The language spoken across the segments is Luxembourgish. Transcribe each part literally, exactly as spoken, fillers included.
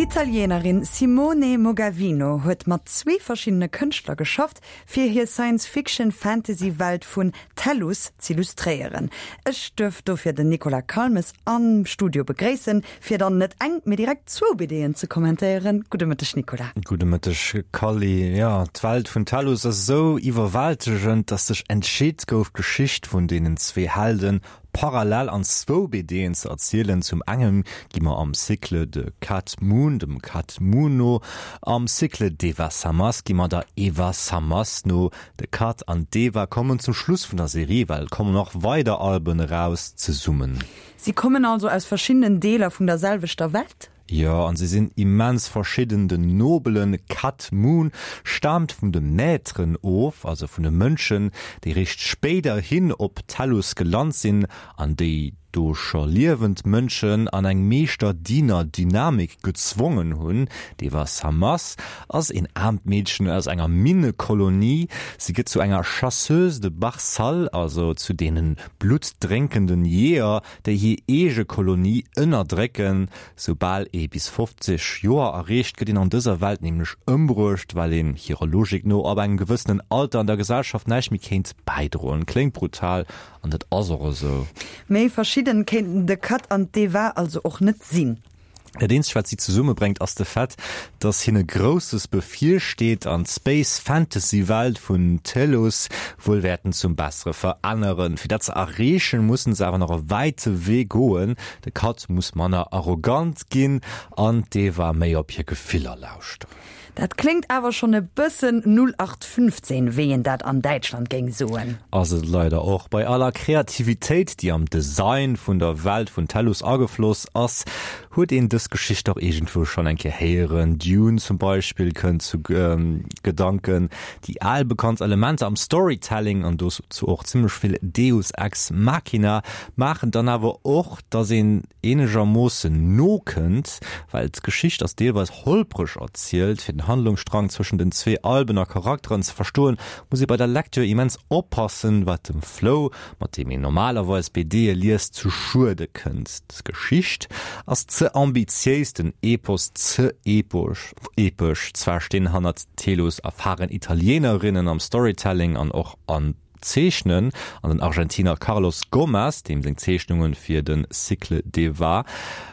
D'Italienerin Simone Mogavino huet mat zwee verschiddene Kënschtler geschafft, fir hir Science-Fiction-Fantasy-Welt vun Tellus z'illustréieren. Ech duerf dofir den Nicolas Calmes am Studio begréissen, fir dann net eng, mee direkt zwou BDen ze kommentéieren. Gudde Mëtteg, Nicolas. Gudde Mëtteg, Kally. Jo, d'Welt vun Tellus ass esou iwwerwältegend, dass sech entscheet gouf, d'Geschicht vun deenen zwee Helden parallel an zwou BDen ze erzielen. Zum engem gi mer am Cycle de Cat Moon, dem Cat Moon no, am Cycle d'Eva Samas gi mer der Eva Samas no. De Cat an d'Eva kommen zum Schluss vun der Serie, well et kommen nach weider Alben eraus, zesummen. Si kommen also aus verschiddenen Deeler vun der selwechter Welt? Jo, an si sinn immens verschidden. Den nobelen Cat Moon staamt vun de Maîtren of, also vun de Mënschen, déi réischt spéiderhin op Tellus gelant sinn an déi do scho liewend Mënschen an eng Meeschter-Diener-Dynamik gezwongen hunn. D'Eva Samas ass een aarmt Meedchen aus enger Minnekolonie. Si gëtt zu enger Chasseuse de Barsal, also zu deene bluttdrénkenden Jeeër, déi hir eege Kolonie ënnerdrécken. Soubal ee bis fofzeg Joer erreecht, gëtt een an dëser Welt nämlech ëmbruecht, well een hirer Logik no ab engem gewëssenen Alter an der Gesellschaft näischt méi kéint bäidroen. Kléngt brutal, an dat ass och esou. Méi verschidden kéinten de Cat an d'Eva also och net sinn. Dat eenzegt wat si zesummebréngt ass de Fait, dass hinne Grousses bevirsteet an d'Space Fantasy Welt vun Tellus wuel wäerten zum Bessere veränneren. Fir dat ze erreechen, mussen se awer nach e wäite Wee goen. De Cat muss manner arrogant ginn an d'Eva méi op hir Gefiller lauschteren. Dat kléngt awer schonn e bëssen null acht fünfzehn, wéi een dat an Däitschland géing soen. Ass et leider och. Bei aller Kreativitéit, déi am Design vun der Welt vun Tellus agefloss ass, huet een dës Geschicht dach iergendwou schonn eng Kéier héieren. Dune zum Beispill kënnt zu Gedanken. Déi al bekannt Elementer am Storytelling, an dozou och zimmlech vill Deus ex machina, maachen dann awer och, dass een eenegermoossen nokënnt, well d'Geschicht ass deelweis holpreg erzielt. Fir den Handlungsstrang zwëschen den zwee Alben a Charakteren ze verstoen, muss ee bei der Lecture immens oppassen, wat dem Flow, mat deem een normalerweis BDe liest, zu Schuede kënnt. D'Geschicht ass ze ambitiéis, den Epos ze epesch. Zwar stinn hannert Telos erfaren Italieenerinnen am Storytelling an och am Zeechnen, an den Argentiner Carlos Gomez, deem seng Zeechnunge fir de Cycle d'Eva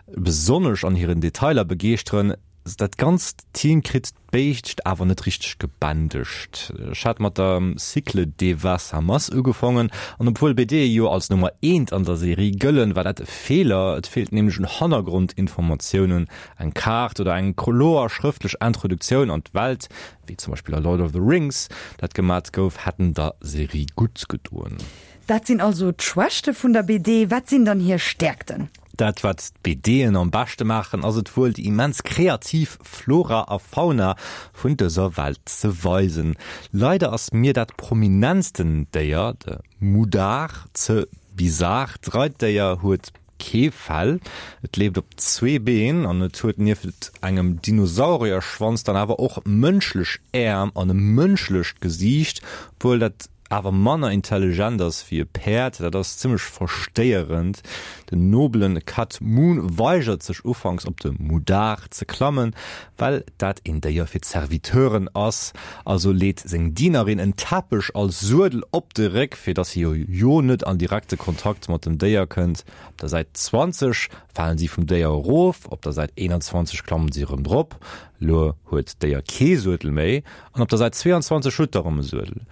besonnesch an hiren Detailer begeeschteren. Dat ganzt Team kritt d'Béischt awer net richteg gebändegt. Ech hat mat der Cycle d'Eva Samas ugefongen, an obwuel BDe jo als Nummer eent an der Serie gëllen, war dat e Feeler. Et feelt nämlech un Hannergrondinformatiounen, eng Kaart oder eng kloer schrëftlech Introduktioun an d'Welt, wéi zum Beispill a Lord of the Rings dat gemat gouf, hätten der Serie gutt gedoen. Dat sinn also d'Schwächte vun der B D. Wat sinn dann hir Stäerkten? Dat wat d'BDen am beschte maachen, ass et wuel déi immens kreativ Flora a Fauna vun dëser Welt ze weisen. Leider ass mir dat prominentsten Déier, de Mudar, ze bizar. D'Reitdéier huet kee Fell, et leeft op zwee Been an et huet nieft engem Dinosaurierschwanz dann awer och mënschlech Äerm an e mënschlecht Gesiicht, obwuel dat awer manner intelligent ass wéi e Päerd. Dat ass zimmlech verstéierend. Den nobelen Cat Moon weigert sech ufanks op de Mudar ze klammen, well dat een Déier fir d'Serviteuren ass. Also leet seng Dienerin en Teppech als Suedel op de Réck, fir dass hie jo net an direkte Kontakt mat dem Déier kënnt. Op der Säit zwanzeg falen si vum Déier erof, op der Säit eenanzwanzeg klammen si erëm drop. Elo huet d'Déier kee Suedel méi an op der Säit zweeanzwanzeg huet et erëm e Suedel.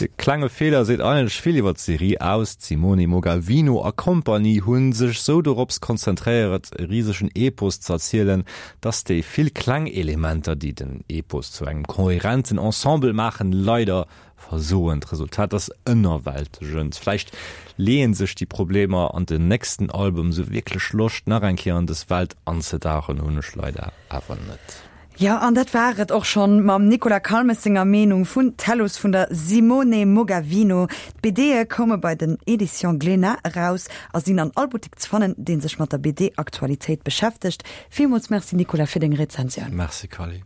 De klenge Feeler seet eigentlech vill iwwer d'Serie aus. D'Simone Mogavino a Kompanie hu sech sou dorops konzentréieret e risegen Epos z'erzielen, dass déi vill kleng Elementer, déi den Epos zu engem kohärenten Ensemble maachen, leider versoen. D'Resultat ass ënnerwältegend. Vläicht leeën sech déi Problemer an den nächsten Album, sou wierklech Loscht nach eng Kéier an dës Welt anzedauchen hunn ech leider awer net. Jo, an dat war et och schonn mam Nicolas Calmes senger Meenung vun Tellus vun der Simone Mogavino. D'BDe koume bei den Editions Glénat eraus a sinn an all Buttek ze fannen, dee sech mat der B D-Aktualitéit beschäftegt. Villmools Merci Nicolas fir deng Rezensioun. Merci Kally.